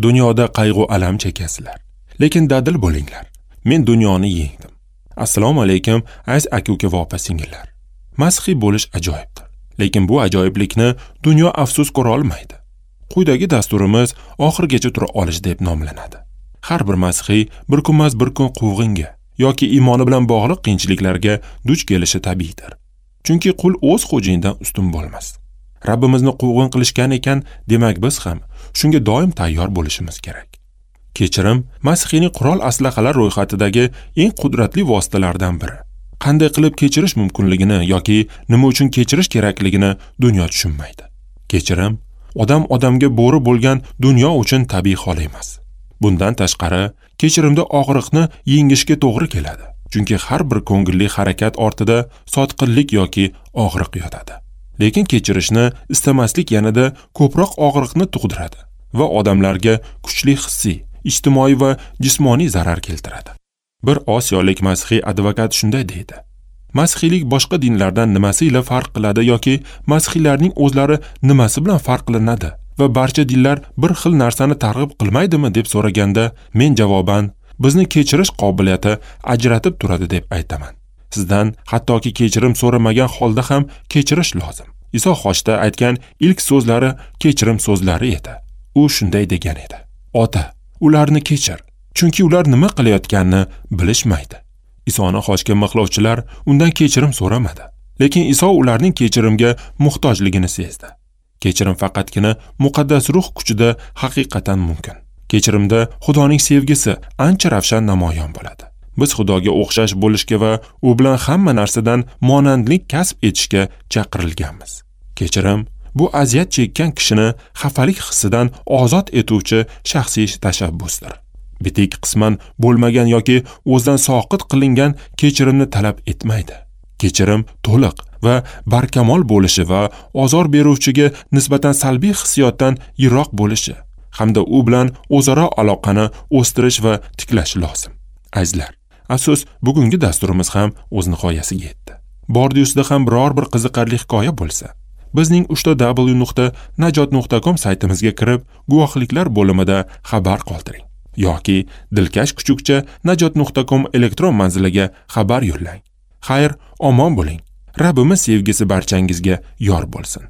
Dunyoda qayg'u alam chekasizlar, lekin dadil bo'linglar. Men dunyoni yengdim. Assalomu alaykum, aziz aka-uka va opa-singillar. Masihiy bo'lish ajoyibdir, lekin bu ajoyiblikni dunyo afsus ko'ra olmaydi. Quyidagi dasturimiz oxirigacha tura olish deb nomlanadi. Har bir masihiy bir kunmas bir kun quvg'inga yoki iymoni bilan bog'liq qiyinchiliklarga duch kelishi tabiiydir. Chunki qul o'z xo'jayinidan ustun bo'lmas. Rabbimizni quvg'in qilishgan ekan, demak biz ham shunga doim tayyor bo'lishimiz kerak. Kechirim masihiyning qurol aslahalar ro'yxatidagi eng qudratli vositalardan biri. Qanday qilib kechirish mumkinligini yoki nima uchun kechirish kerakligini dunyo tushunmaydi. Kechirim odam odamga bo'ri bo'lgan dunyo uchun tabiiy hol emas. Bundan tashqari, kechirimda og'riqni yengishga to'g'ri keladi. Chunki har bir ko'ngilli harakat ortida sotqinlik yoki og'riq yotadi. Lekin kechirishni istamaslik yanada ko'proq og'riqni tug'diradi va odamlarga kuchli hissiy, ijtimoiy va jismoniy zarar keltiradi. Bir osiyolik masihiy advokat shunday deydi: Masihiylik boshqa dinlardan nimasi ila farq qiladi yoki masihiylarning o'zlari nimasi bilan farqlanadi va barcha dinlar bir xil narsani targ'ib qilmaydimi deb so'raganda, men javoban bizni kechirish qobiliyati ajratib turadi deb aytaman. Sizdan hattoki kechirim so'ramagan holda ham kechirish lozim. Iso xochda aytgan ilk so'zlari kechirim so'zlari edi. U shunday degan edi: Ota, ularni kechir, chunki ular nima qilayotganini bilishmaydi. Isoni xochga mixlovchilar undan kechirim so'ramadi, lekin Iso ularning kechirimga muhtojligini sezdi. Kechirim faqatgina muqaddas ruh kuchida haqiqatan mumkin. Kechirimda Xudoning sevgisi ancha ravshan namoyon bo'ladi. Biz Xudoga o'xshash bo'lishga va u bilan hamma narsadan monandlik kasb etishga chaqirilganmiz. Kechirim bu aziyat chekkan kishini xafalik hissidan ozod etuvchi shaxsiy tashabbusdir. Bitik qisman bo'lmagan yoki o'zidan soqit qilingan kechirimni talab etmaydi. Kechirim to'liq va barkamol bo'lishi va ozor beruvchiga nisbatan salbiy hissiyotdan yiroq bo'lishi hamda u bilan o'zaro aloqani o'stirish va tiklash lozim. Azizlar, afsus, bugungi dasturimiz ham o'z nihoyasiga yetdi. Bordi-ustida ham biror bir qiziqarli hikoya bo'lsa, bizning www.najot.com saytimizga kirib, guvohliklar bo'limida xabar qoldiring yoki dilkash kuchukcha najot.com elektron manziliga xabar yo'llang. Xayr, omon bo'ling. Rabbimiz sevgisi barchangizga yor bo'lsin.